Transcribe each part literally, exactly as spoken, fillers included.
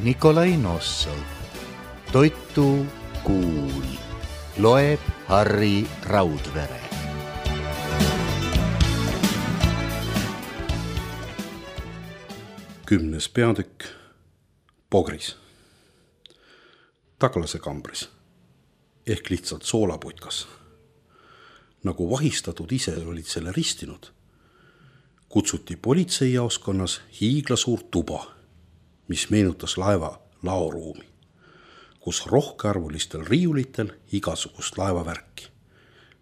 Nikolai Nossov. Toitu kuul. Loeb Harri Raudvere. Kümnes peatükk. Pogris. Taglase kambris. Ehk lihtsalt soolaputkas. Nagu vahistatud ise olid selle ristinud, kutsuti politseijaoskonnas hiiglasuur tuba, mis meenutas laeva laoruumi, kus rohkearvulistel riiulitel igasugust laevavärki,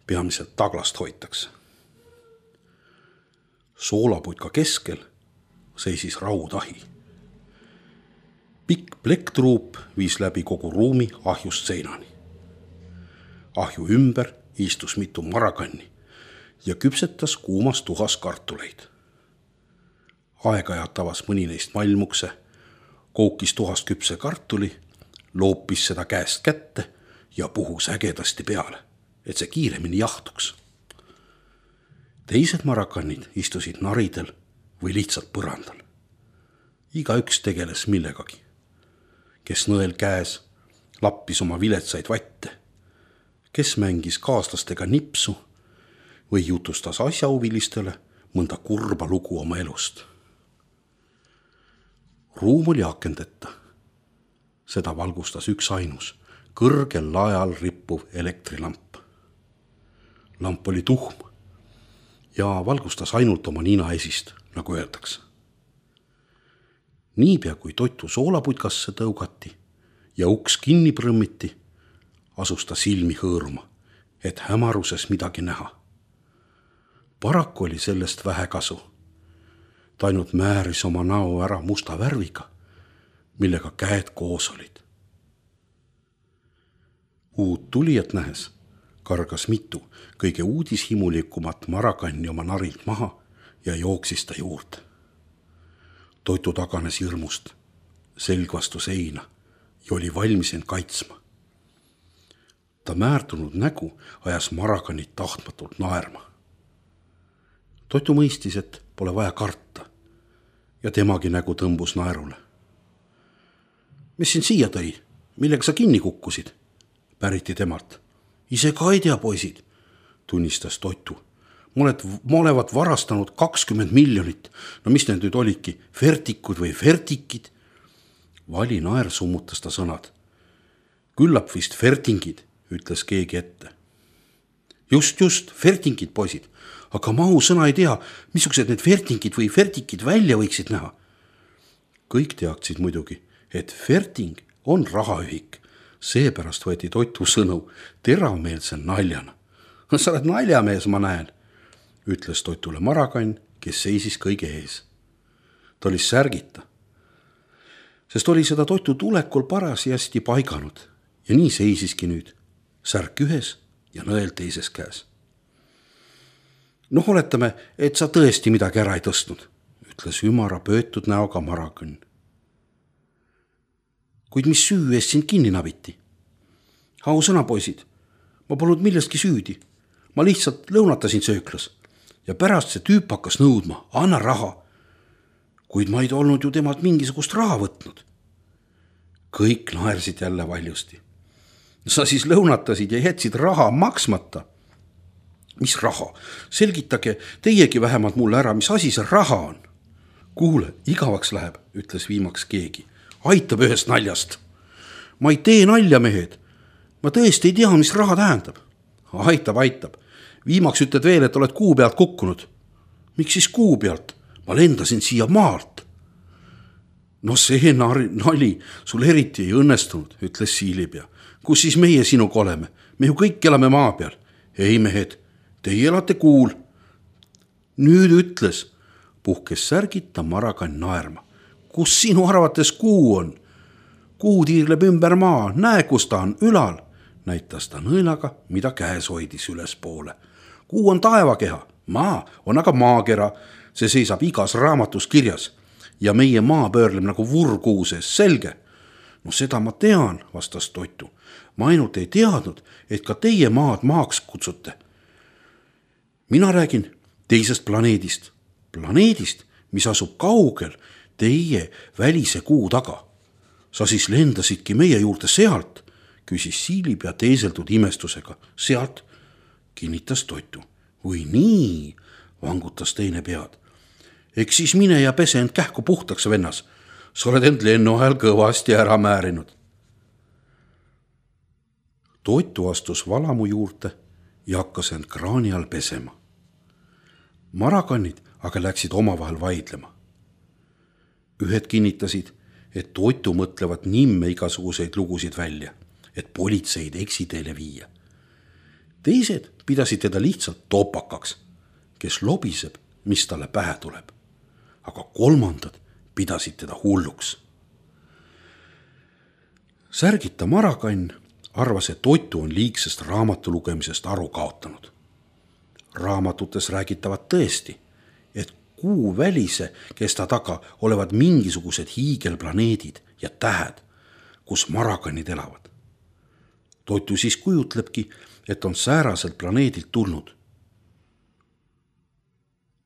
peamiselt taglast hoitakse. Soolaputka keskel seisis raudahi. Pikk plekktruup viis läbi kogu ruumi ahjust seinani. Ahju ümber istus mitu marakanni ja küpsetas kuumas tuhas kartuleid. Aeg-ajalt avas mõni neist malmukse, koukis tuhast küpse kartuli, loopis seda käest kätte ja puhus ägedasti peale, et see kiiremini jahtuks. Teised marakannid istusid naridel või lihtsalt põrandal. Igaüks tegeles millegagi. Kes nõel käes lappis oma viletsaid vatte, kes mängis kaaslastega nipsu või jutustas asjahuvilistele mõnda kurba lugu oma elust. Ruum oli akendeta. Seda valgustas üks ainus, kõrgel laeal rippuv elektrilamp. Lamp oli tuhm ja valgustas ainult oma nina esist, nagu öeldakse. Niipea kui Toitu soolaputkasse tõugati ja uks kinni prõmmiti, asus ta silmi hõõruma, et hämaruses midagi näha. Paraku oli sellest vähe kasu. Ta ainult määris oma näo ära musta värviga, millega käed koos olid. Uut tulijat nähes kargas mitu kõige uudishimulikumat marakanni oma narilt maha ja jooksis ta juurde. Toitu taganes hirmust, selg vastu seina ja oli valmis end kaitsma. Ta määrdunud nägu ajas marakannid tahtmatult naerma. Toitu mõistis, et pole vaja karta ja temagi nägu tõmbus naerule. Mis sind siia tõi? Millega sa kinni kukkusid? Päriti temalt. Ise ka ei tea, poisid, tunnistas Toitu. Ma olevat varastanud kakskümmend miljonit. No mis need nüüd olidki? Fertikud või fertikid? Vali naer summutas ta sõnad. Küllap vist fertingid, ütles keegi ette. Just, just, fertingid, poisid. Aga mahu sõna ei tea, missugused need fertingid või fertikid välja võiksid näha. Kõik teaksid muidugi, et ferting on rahaühik. Seepärast võeti Toitu sõnu teravmeelse naljana. Sa oled naljamees, ma näen, ütles Toitule marakann, kes seisis kõige ees. Ta oli särgita, sest oli seda Toitu tulekul parasjasti paiganud ja nii seisiski nüüd, särk ühes ja nõel teises käes. Noh, oletame, et sa tõesti midagi ära ei tõstnud, ütles ümara pöötud näoga marakann. Kuid mis süü eest sind kinni nabiti? Au sõna, poisid, ma polnud millestki süüdi. Ma lihtsalt lõunatasin sööklas ja pärast see tüüp hakkas nõudma, anna raha. Kuid ma ei olnud ju temalt mingisugust raha võtnud. Kõik naersid jälle valjusti. Sa siis lõunatasid ja jätsid raha maksmata. Mis raha? Selgitage teiegi vähemalt mulle ära, mis asi see raha on. Kuule, igavaks läheb, ütles viimaks keegi. Aitab ühest naljast. Ma ei tee nalja, mehed. Ma tõesti ei tea, mis raha tähendab. Aitab, aitab. Viimaks ütled veel, et oled kuu pealt kukkunud. Miks siis kuu pealt? Ma lendasin siia maalt. No see nali sul eriti ei õnnestunud, ütles Siilipea. Kus siis meie sinuga oleme? Me ju kõik elame maa peal. Ei, mehed, teie elate kuul. Nüüd ütles, puhkes särgita marakann naerma. Kus sinu arvates kuu on? Kuu tiirleb ümber maa, näe, kus ta on, ülal, näitas ta nõelaga, mida käes hoidis üles poole. Kuu on taevakeha, maa on aga maakera, see seisab igas raamatus kirjas ja meie maa pöörleb nagu vurkuu sees, selge. No seda ma tean, vastas Toitu. Ma ainult ei teadnud, et ka teie maad maaks kutsute. Mina räägin teisest planeedist, planeedist, mis asub kaugel teie välise kuu taga. sa siis lendasidki meie juurde sealt, küsis Siilipea teeseldud imestusega. Sealt, kinnitas Toitu. Või nii, vangutas teine pead. Eks siis mine ja pese end kähku puhtaks, vennas. Sa oled end lennu ajal kõvasti ära määrinud. Toitu astus valamu juurde ja hakkas end kraani all pesema. Marakannid aga läksid omavahel vaidlema. Ühed kinnitasid, et Toitu mõtlevad nimme igasuguseid lugusid välja, et politseid eksiteele viia. Teised pidasid teda lihtsalt topakaks, kes lobiseb, mis talle pähe tuleb. Aga kolmandad pidasid teda hulluks. Särgita Marakann arvas, et Toitu on liigsest raamatu lugemisest aru kaotanud. Raamatutes räägitavad tõesti, et kuu välise kesta taga olevad mingisugused hiigelplaneedid ja tähed, kus marakannid elavad. Toitu siis kujutlebki, et on sääraselt planeedilt tulnud.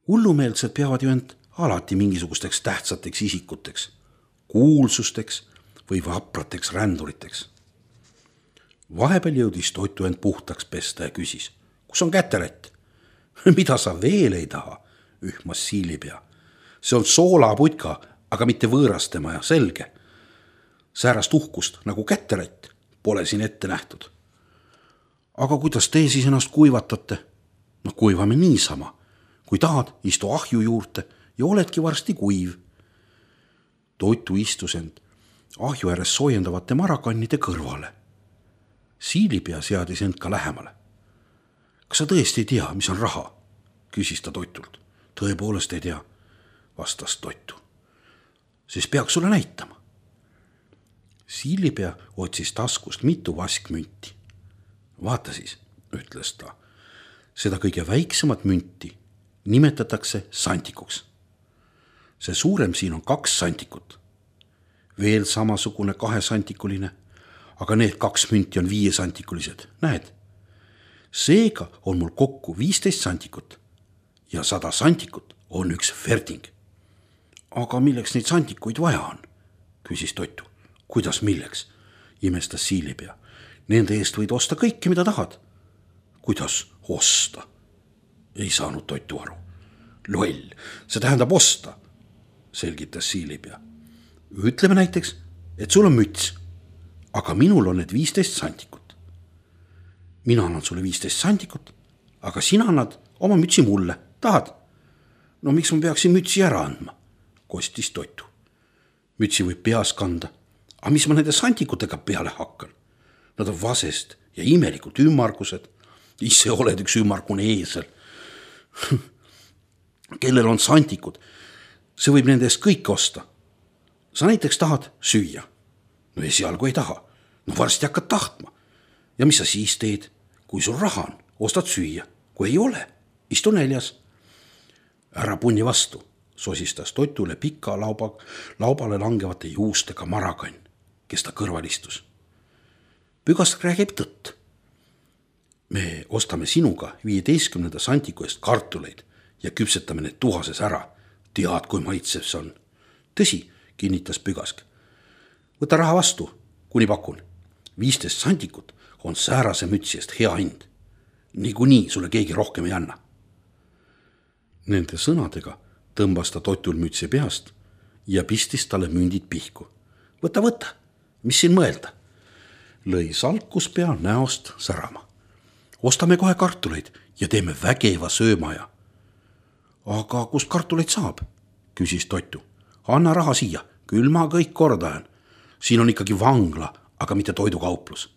Hullumeelsed peavad ju end alati mingisugusteks tähtsateks isikuteks, kuulsusteks või vaprateks ränduriteks. Vahepeal jõudis Toitu end puhtaks pesta ja küsis, kus on käterätt? Mida sa veel ei taha, ühmas Siilipea. See on soolaputka, aga mitte võõrastema ja selge. Säärast uhkust nagu käterätt pole siin ette nähtud. Aga kuidas te siis ennast kuivatate? No kuivame niisama. Kui tahad, istu ahju juurde ja oledki varsti kuiv. Toitu istus end ahju ääres soojendavate marakannide kõrvale. Siilipea seadis end ka lähemale. Kas sa tõesti ei tea, mis on raha? Küsis ta Toitult. Tõepoolest ei tea, vastas Toitu. Siis peaks sulle näitama. Siilipea otsis taskust mitu vaskmünti. Vaata siis, ütles ta, seda kõige väiksemat münti nimetatakse santikuks. See suurem siin on kaks santikut. Veel samasugune kahesantikuline, aga need kaks münti on viiesantikulised, näed? Seega on mul kokku viisteist santikut ja sada santikut on üks ferding. Aga milleks neid santikuid vaja on? Küsis Toitu. Kuidas milleks? Imestas Siilipea. Nende eest võid osta kõike, mida tahad. Kuidas osta? Ei saanud Toitu aru. Loll, see tähendab osta, selgitas Siilipea. Ütleme näiteks, et sul on müts, aga minul on need viisteist santikut. Mina annan sulle viisteist santikut, aga sina annad oma mütsi mulle. Tahad? No miks ma peaksin mütsi ära andma? Kostis Toitu. Mütsi võib peas kanda, aga mis ma nende santikutega peale hakkan? Nad on vasest ja imelikult ümmargused. Ise oled üks ümmargune eesel. Kellel on santikud, see võib nende eest kõik osta. Sa näiteks tahad süüa. No esialgu ei taha. No varsti hakkad tahtma. Ja mis sa siis teed? Kui sul raha on, ostad süüa. Kui ei ole, istu näljas. Ära punni vastu, sosistas Toitule pika lauba, laubale langevate juustega Marakann, kes ta kõrval istus. Pügast räägib tõtt. Me ostame sinuga viieteistkümnenda santiku eest kartuleid ja küpsetame need tuhases ära. Tead, kui maitsev see on. Tõsi, kinnitas Pügask. Võta raha vastu, kuni pakun. viisteist santikut on säärase mütsi eest hea hind. Niikuinii sulle keegi rohkem ei anna. Nende sõnadega tõmbas ta Toitul mütsi peast ja pistis talle mündid pihku. Võta, võta, mis siin mõelda? Lõi Salkuspea näost särama. Ostame kohe kartuleid ja teeme vägeva söömaja. Aga kust kartuleid saab? Küsis Toitu. Anna raha siia, küll ma kõik kordajan. Siin on ikkagi vangla, aga mitte toidukauplus.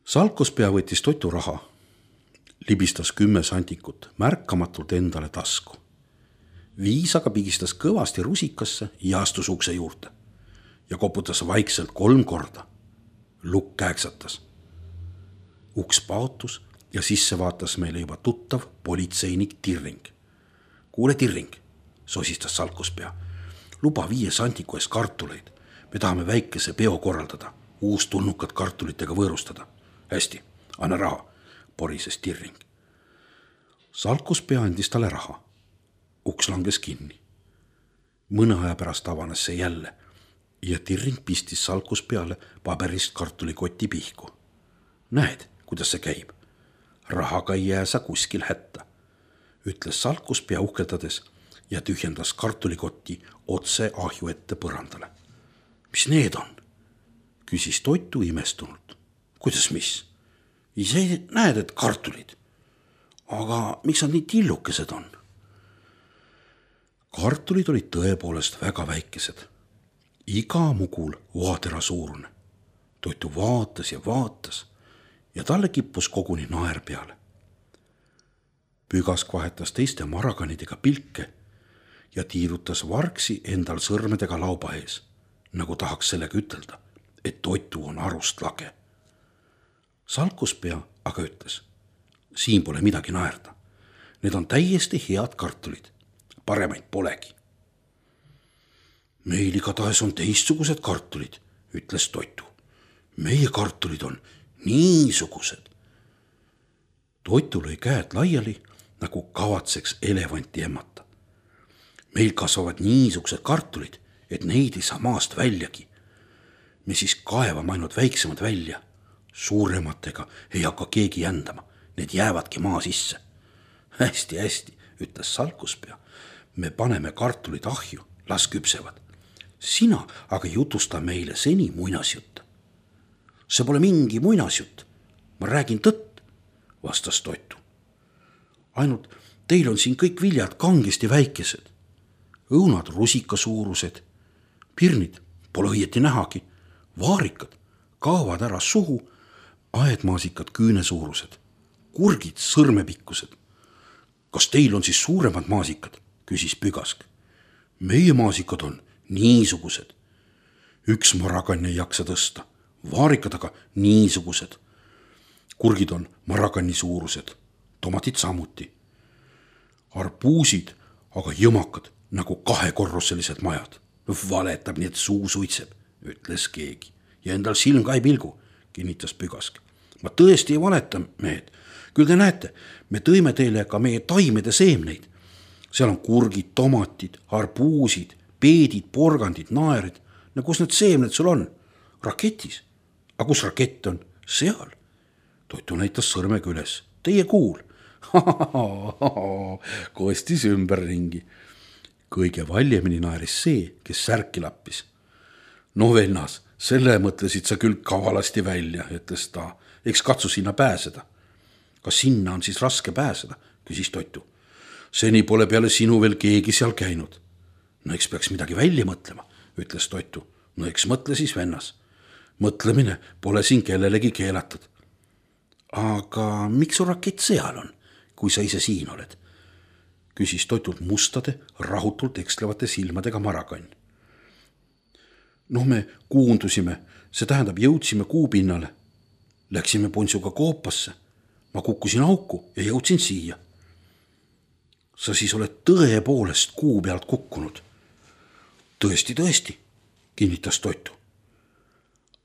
Salkuspea võttis Toitu raha, libistas kümme santikut märkamatult endale tasku. Viis aga pigistas kõvasti rusikasse ja astus ukse juurde ja koputas vaikselt kolm korda. Lukk kääksatas. Uks paotus ja sisse vaatas meile juba tuttav politseinik Tirring. Kuule Tirring, sosistas Salkuspea. Luba viie santiku eest kartuleid. Me tahame väikese peo korraldada, uus tulnukad kartulitega võõrustada. Hästi, anna raha, porises Tirring. Salkuspea andis talle raha. Uks langes kinni. Mõne aja pärast avanes see jälle ja Tirring pistis salkus peale paberist kartulikoti pihku. Näed, kuidas see käib. Rahaga ei jää sa kuskil hätta, ütles salkuspea uhkeldades ja tühjendas kartulikotti otse ahju ette põrandale. Mis need on? Küsis Toitu imestunult. Kuidas mis? Ise näed, et kartulid. Aga miks nad nii tillukesed on? Kartulid olid tõepoolest väga väikesed. Iga mugul vaatera suurune. Toitu vaatas ja vaatas ja talle kippus koguni naer peale. Pügask vahetas teiste marakanidega pilke ja tiirutas vargsi endal sõrmedega lauba ees, nagu tahaks sellega ütelda, et Toitu on arust lage. Salkuspea aga ütles, siin pole midagi naerda. Need on täiesti head kartulid, paremaid polegi. Meil igatahes on teistsugused kartulid, ütles Toitu. Meie kartulid on niisugused. Toitu lõi käed laiali, nagu kavatseks elevanti emmata. Meil kasvavad niisugused kartulid, et neid ei saa maast väljagi. Me siis kaevame ainult väiksemad välja. Suurematega ei hakka keegi jändama, need jäävadki maa sisse. Hästi, hästi, ütles salkuspea. Me paneme kartulid ahju, las küpsevad. Sina aga jutusta meile seni muinasjutt. See pole mingi muinasjutt, ma räägin tõtt, vastas Toitu. Ainult teil on siin kõik viljad kangesti väikesed. Õunad rusikasuurused, pirnid pole õieti nähagi, vaarikad kaovad ära suhu, aedmaasikad küünesuurused, kurgid sõrmepikkused. Kas teil on siis suuremad maasikad, küsis Pügask. Meie maasikad on niisugused. Üks marakann ei jaksa tõsta, vaarikad aga niisugused. Kurgid on marakanni suurused, tomatid samuti. Arbuusid aga jõmakad nagu kahekorruselised majad. Valetab nii, et suu suitseb, ütles keegi. Ja endal silm ka ei pilgu, kinnitas Pügask. Ma tõesti ei valeta, mehed. Küll te näete, me tõime teile ka meie taimede seemneid. Seal on kurgid, tomatid, arbuusid, peedid, porgandid, naerid. No kus need seemned sul on? Raketis. Aga kus rakett on? Seal. Toitu näitas sõrmega üles. Teie kuul. Kostis ümberringi. Kõige valjemini naeris see, kes särki lappis. No vennas, selle mõtlesid sa küll kavalasti välja, ütles ta. Eks katsu sinna pääseda. Kas sinna on siis raske pääseda, küsis Toitu. Seni pole peale sinu veel keegi seal käinud. No eks peaks midagi välja mõtlema, ütles Toitu. No eks mõtle siis vennas. Mõtlemine pole siin kellelegi keelatud. Aga miks su rakett seal on, kui sa ise siin oled? Küsis Toitult mustade, rahutult ekslevate silmadega marakann. Noh, me kuundusime, see tähendab jõudsime kuupinnale. Läksime Ponsuga koopasse. Ma kukkusin auku ja jõudsin siia. Sa siis oled tõepoolest kuu pealt kukkunud. Tõesti, tõesti, kinnitas Toitu.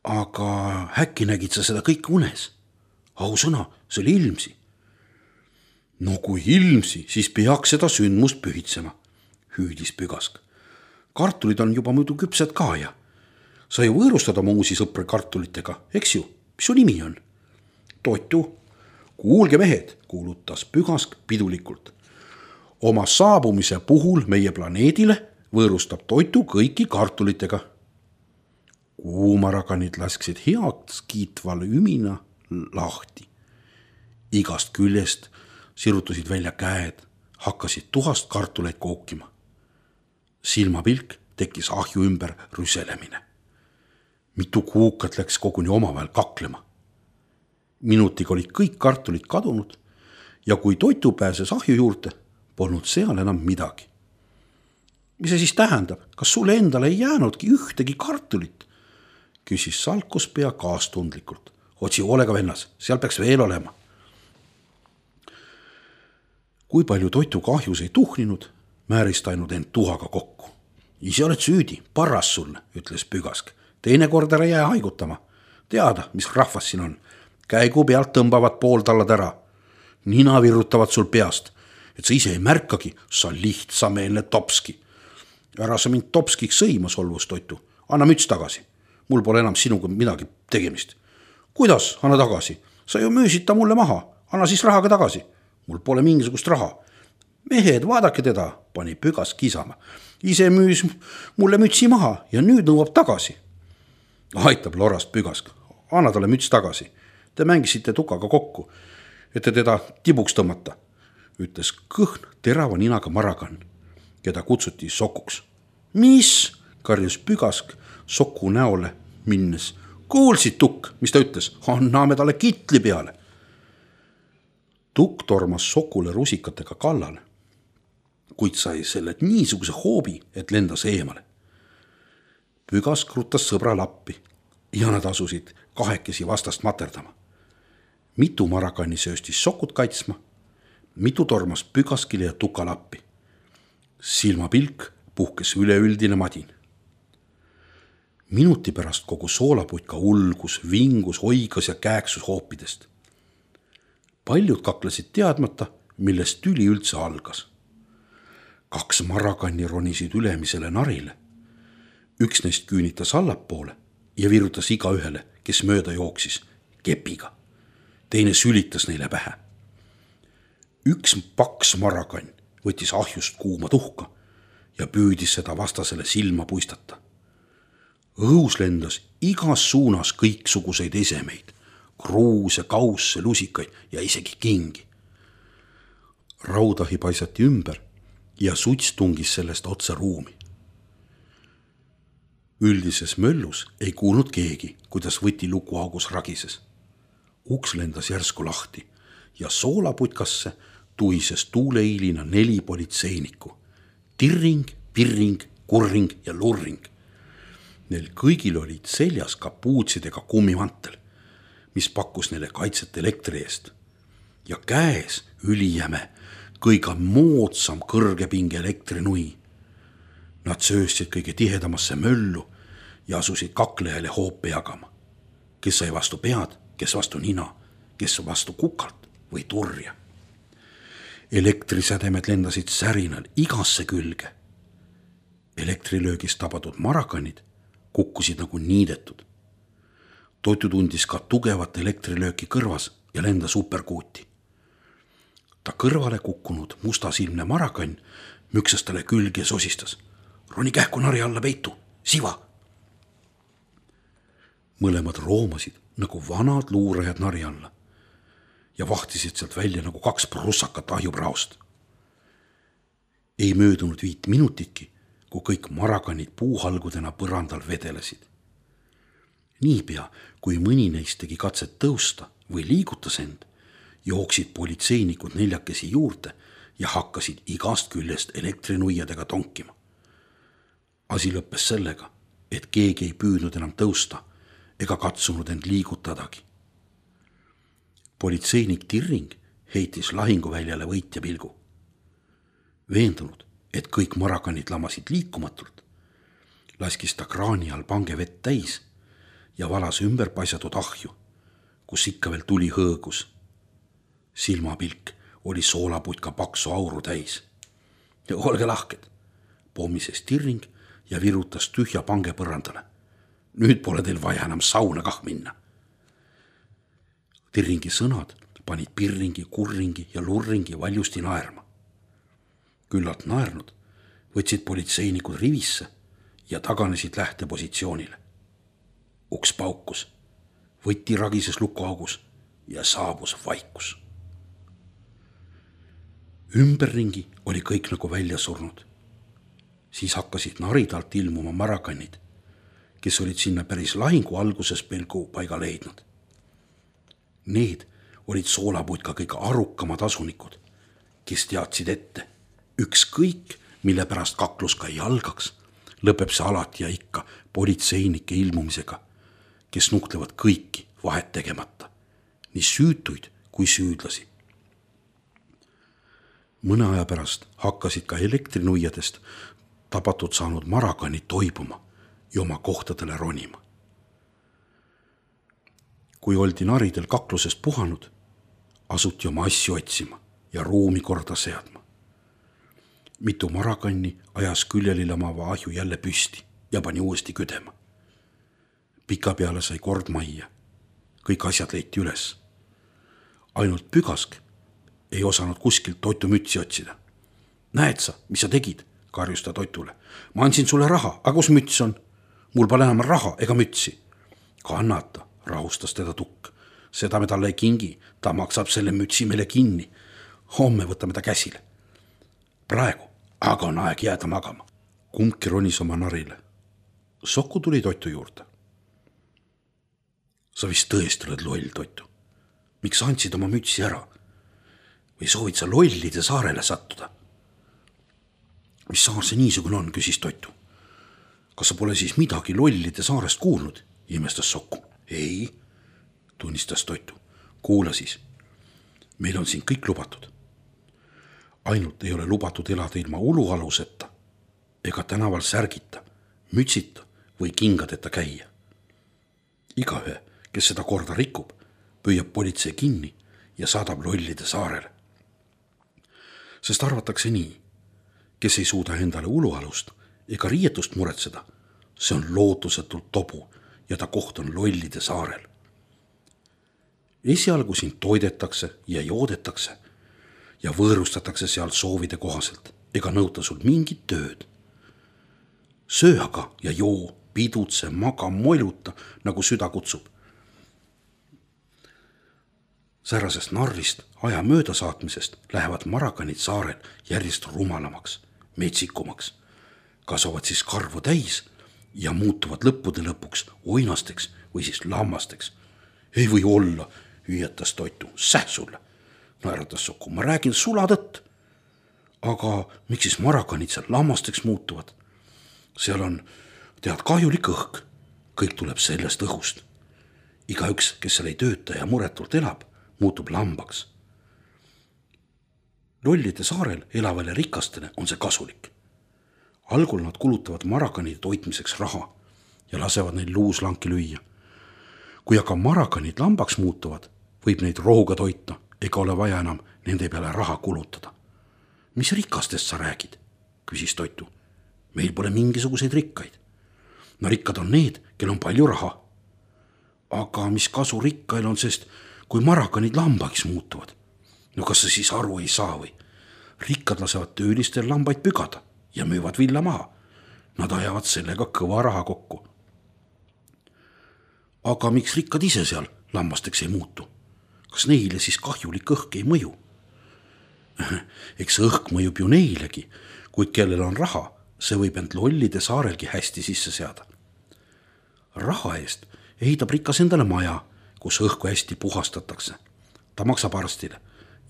Aga äkki nägid sa seda kõik unes? Ausõna, see oli ilmsi. No kui ilmsi, siis peaks seda sündmust pühitsema, hüüdis Pügask. Kartulid on juba muidu küpsed ka ja sa ju võõrustad oma uusi sõpre kartulitega, eks ju? Mis su nimi on? Toitu. Kuulge mehed, kuulutas Pügask pidulikult. Oma saabumise puhul meie planeedile võõrustab Toitu kõiki kartulitega. Kuumarakanid lasksid heaks kiitval ümina lahti. Igast küljest sirutusid välja käed, hakkasid tuhast kartuleid kookima. Silmapilk tekkis ahju ümber rüselemine. Mitu kuukat läks koguni omavahel kaklema. Minutiga olid kõik kartulid kadunud ja kui Toitu pääses ahju juurde, polnud seal enam midagi. Mis see siis tähendab? Kas sulle endale ei jäänudki ühtegi kartulit? Küsis salkuspea kaastundlikult. Otsi hoolega vennas, seal peaks veel olema. Kui palju Toitu kahjus ei tuhninud, määris ta ainult end tuhaga kokku. Ise oled süüdi, parras sulle, ütles Pügask. Teine kord ära jää haigutama. Teada, mis rahvas siin on. Käigu pealt tõmbavad pooltallad ära. Nina virutavad sul peast, et sa ise ei märkagi, sa lihtsameelne topski. Ära sa mind topskiks sõima, solvus Toitu. anna müts tagasi. Mul pole enam sinuga midagi tegemist. Kuidas, anna tagasi? Sa ju müüsid ta mulle maha. Anna siis rahaga tagasi. Mul pole mingisugust raha. Mehed, vaadake teda, pani Pügask kisama. Ise müüs mulle mütsi maha ja nüüd nõuab tagasi. Aitab lorast Pügask. Anna talle müts tagasi. Te mängisite tukaga kokku, et te teda tibuks tõmmata, ütles kõhn terava ninaga Marakann, keda kutsuti Sokuks. Mis? Karjus Pügask Soku näole minnes. Kuulsid, Tukk, mis ta ütles? Anname talle kitli peale. Tukk tormas Sokule rusikatega kallale, kuid sai selle niisuguse hoobi, et lendas eemale. Pügask ruttas sõbra lappi ja nad asusid kahekesi vastast materdama. Mitu Marakanni sööstis Sokut kaitsma, mitu tormas Pügaskile ja Tuka lappi. Silmapilk puhkes üleüldine madin. Minuti pärast kogu soolaputka ulgus, vingus, oigas ja kääksus hoopidest. Paljud kaklesid teadmata, millest tüli üldse algas. Kaks Marakanni ronisid ülemisele narile. Üks neist küünitas allapoole ja virutas iga ühele, kes mööda jooksis, kepiga. Teine sülitas neile pähe. Üks paks Marakann võttis ahjust kuuma tuhka ja püüdis seda vastasele silma puistata. Õhus lendas igas suunas kõiksuguseid esemeid, kruuse, kausse, lusikaid ja isegi kingi. Raudahi paisati ümber ja suts tungis sellest otse ruumi. Üldises möllus ei kuulnud keegi, kuidas võti lukuaugus ragises. Uks lendas järsku lahti ja soolaputkasse tuhises tuuleiilina neli politseinikku. Tirring, pirring, kurring ja lurring. Neil kõigil olid seljas kapuutsidega kummimantel, mis pakkus neile kaitset elektri eest. Ja käes ülijäme, kõige moodsam kõrgepinge elektrinui. Nad sööstsid kõige tihedamasse möllu ja asusid kaklejale hoope jagama. Kes sai vastu pead, kes vastu nina, kes vastu kukalt või turja. Elektrisädemed lendasid särinal igasse külge. Elektrilöögist tabatud Marakannid kukkusid nagu niidetud. Toitu tundis ka tugevat elektrilööki kõrvas ja lendas superkuuti. Ta kõrvale kukkunud mustasilmne Marakann müksas talle külge ja sosistas. Roni kähku nari alla peitu, siva! Mõlemad roomasid nagu vanad luurajad nari alla ja vahtisid sealt välja nagu kaks prussakat ahjupraost. Ei möödunud viit minutitki, kui kõik Marakannid puuhalgudena põrandal vedelesid. Niipea, kui mõni neist tegi katset tõusta või liigutas end, jooksid politseinikud neljakesi juurde ja hakkasid igast küljest elektrinuiadega tonkima. Asi lõppes sellega, et keegi ei püüdnud enam tõusta ega katsunud end liigutadagi. Politseinik Tirring heitis lahinguväljale võitja pilgu. Veendunud, et kõik Marakannid lamasid liikumatult, laskis ta kraani all pange vett täis ja valas ümber paisatud ahju, kus ikka veel tuli hõõgus. Silmapilk oli soolaputka paksu auru täis. Ja olge lahked, pommises Tirring ja virutas tühja pange põrandale. Nüüd pole teil vaja enam sauna kah minna. Tirringi sõnad panid pirringi, kurringi ja lurringi valjusti naerma. Küllalt naernud võtsid politseinikud rivisse ja taganesid lähtepositsioonile. Uks paukus, võtti ragises lukuaugus ja saabus vaikus. Ümberringi oli kõik nagu välja surnud. Siis hakkasid naridalt ilmuma Marakannid, kes olid sinna päris lahingu alguses pelgu paiga leidnud. Need olid soolaputka kõige arukamad asunikud, kes teadsid ette, ükskõik, mille pärast kaklus ka ei algaks, lõpeb see alati ja ikka politseinike ilmumisega, kes nuhtlevad kõiki vahet tegemata, nii süütuid kui süüdlasi. Mõne aja pärast hakkasid ka elektrinuiadest tabatud saanud Marakannid toibuma ja oma kohtadele ronima. Kui oldi naridel kaklusest puhanud, asuti oma asju otsima ja ruumi korda seadma. Mitu Marakanni ajas küljeli lamava ahju jälle püsti ja pani uuesti küdema. Pikapeale sai kord majja. Kõik asjad leiti üles. Ainult Pügask ei osanud kuskilt Toitu mütsi otsida. Näed sa, mis sa tegid, karjus ta Toitule. Ma andsin sulle raha, aga kus müts on? Mul pole enam raha ega mütsi. Kannata, rahustas teda Tukk. Seda me talle ei kingi, ta maksab selle mütsi meile kinni. Homme võtame ta käsile. Praegu aga on aeg jääda magama. Kumbki ronis oma narile. Soku tuli Toitu juurde. Sa vist tõesti oled loll, Toitu. Miks andsid oma mütsi ära? Või soovid sa lollide saarele sattuda? Mis saar see niisugune on, küsis Toitu. Kas sa pole siis midagi lollide saarest kuulnud? Imestas Soku. Ei, tunnistas Toitu. Kuula siis. Meil on siin kõik lubatud. Ainult ei ole lubatud elada ilma ulualuseta ega tänaval särgita, mütsita või kingadeta käia. Igaühe, kes seda korda rikub, püüab politsei kinni ja saadab lollide saarele. Sest arvatakse nii, kes ei suuda endale ulualust ega riietust muretseda, see on lootusetult tobu ja ta koht on lollide saarel. Esialgu sind toidetakse ja joodetakse ja võõrustatakse seal soovide kohaselt ega nõuta sul mingit tööd. Söö aga ja joo, pidutse, maga, moiluta, nagu süda kutsub. Säärasest narrist aja mööda saatmisest lähevad marakanid saarel järjest rumalamaks, metsikumaks. Kasvavad siis karvu täis ja muutuvad lõppude lõpuks oinasteks või siis lammasteks. Ei või olla, hüüatas Toitu. Säh sulle, naeratas Soku. Ma räägin sulatõtt. Aga miks siis marakanid seal lammasteks muutuvad? Seal on, tead, kahjulik õhk. Kõik tuleb sellest õhust. Igaüks, kes seal ei tööta ja muretult elab, muutub lambaks. Lollide saarel elavale rikastele on see kasulik. Algul nad kulutavad marakanide toitmiseks raha ja lasevad neil luuslanki lüüa. Kui aga marakanid lambaks muutuvad, võib neid rohuga toita ega ole vaja enam nende peale raha kulutada. Mis rikastest sa räägid? Küsis Toitu. Meil pole mingisuguseid rikkaid. No rikkad on need, kel on palju raha. Aga mis kasu rikkail on, sest kui marakanid lambaks muutuvad? No kas sa siis aru ei saa või? Rikkad lasevad töölistel lambaid pügada ja müüvad villa maha. Nad ajavad sellega kõva raha kokku. Aga miks rikkad ise seal lambasteks ei muutu? Kas neile siis kahjulik õhk ei mõju? Eks õhk mõjub ju neilegi, kuid kellel on raha, see võib end lollide saarelgi hästi sisse seada. Raha eest ehitab rikas endale maja, kus õhku hästi puhastatakse. Ta maksab arstile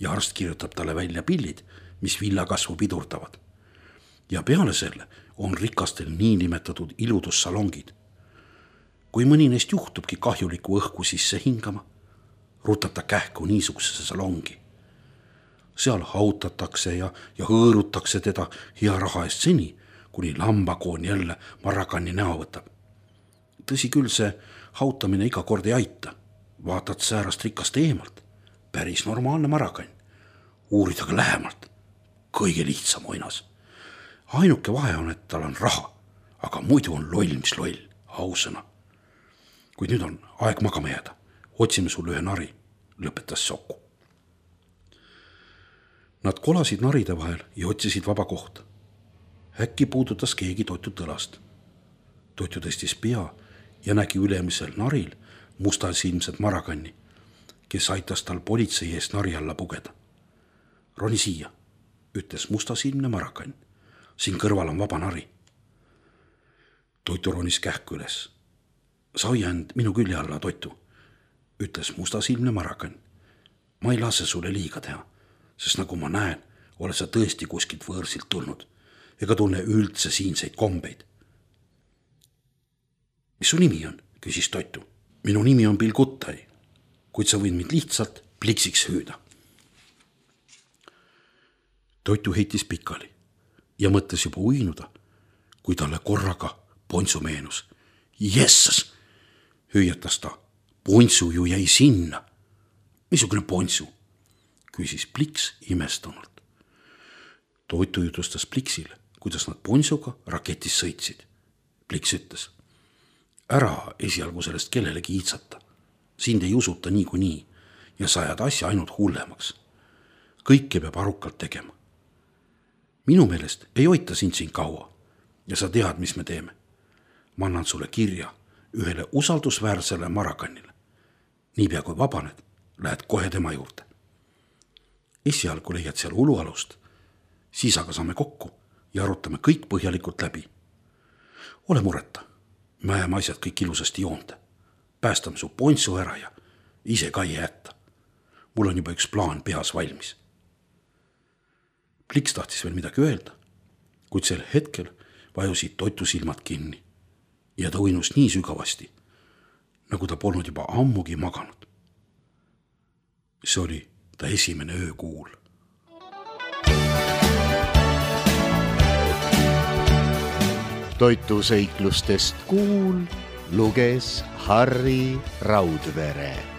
ja arst kirjutab talle välja pillid, mis villakasvu pidurdavad. Ja peale selle on rikastel niinimetatud iludussalongid. Kui mõni neist juhtubki kahjuliku õhku sisse hingama, rutab ta kähku niisugusesse salongi. Seal hautatakse ja, ja hõõrutakse teda hea raha eest seni, kuni lambakoon jälle marakanni näo võtab. Tõsi küll, see hautamine iga kord ei aita. Vaatad säärast rikast eemalt. Päris normaalne marakann. Uurid aga lähemalt. Kõige lihtsam oinas. Ainuke vahe on, et tal on raha, aga muidu on loll, mis loll, ausõna. Kuid nüüd on aeg magama jääda. Otsime sulle ühe nari, lõpetas Soku. Nad kolasid naride vahel ja otsisid vaba kohta. Äkki puudutas keegi Toitu tõlast. Toitu tõstis pea ja nägi ülemisel naril mustasilmset marakanni, kes aitas tal politsei eest nari alla pugeda. Roni siia, ütles mustasilmne marakann. Siin kõrval on vaba nari. Toitu ronis kähku üles. Sa hoia end minu külje alla, Toitu, ütles mustasilmne marakann. Ma ei lase sulle liiga teha, sest nagu ma näen, oled sa tõesti kuskilt võõrsilt tulnud ega tunne üldse siinseid kombeid. Mis su nimi on, küsis Toitu. Minu nimi on Bill Guttai, kuid sa võid mind lihtsalt pliksiks hüüda. Toitu heitis pikali ja mõtles juba uinuda, kui talle korraga Pontsu meenus. Jessas, hüüatas ta. Pontsu ju jäi sinna. Missugune Pontsu? Küsis Pliks imestunult. Toitu jutustas Pliksile, kuidas nad Pontsuga raketis sõitsid. Pliks ütles. ära esialgu sellest kellelegi iitsata. Sind ei usuta niikuinii ja sa ajad asja ainult hullemaks. Kõike peab arukalt tegema. Minu meelest ei hoita sind siin kaua ja sa tead, mis me teeme. Ma annan sulle kirja ühele usaldusväärsele Marakannile. Niipea kui vabaned, lähed kohe tema juurde. Esialgu leiad seal ulualust, siis aga saame kokku ja arutame kõik põhjalikult läbi. Ole mureta, me ajame asjad kõik ilusasti joonde. Päästame su pontsu ära ja ise ka ei jätta. Mul on juba üks plaan peas valmis. Pliks tahtis veel midagi öelda, kuid sel hetkel vajusid Toitu silmad kinni ja ta uinus nii sügavasti, nagu ta polnud juba ammugi maganud. See oli ta esimene öökuul. Toitu seiklustest kuul luges Harri Raudvere.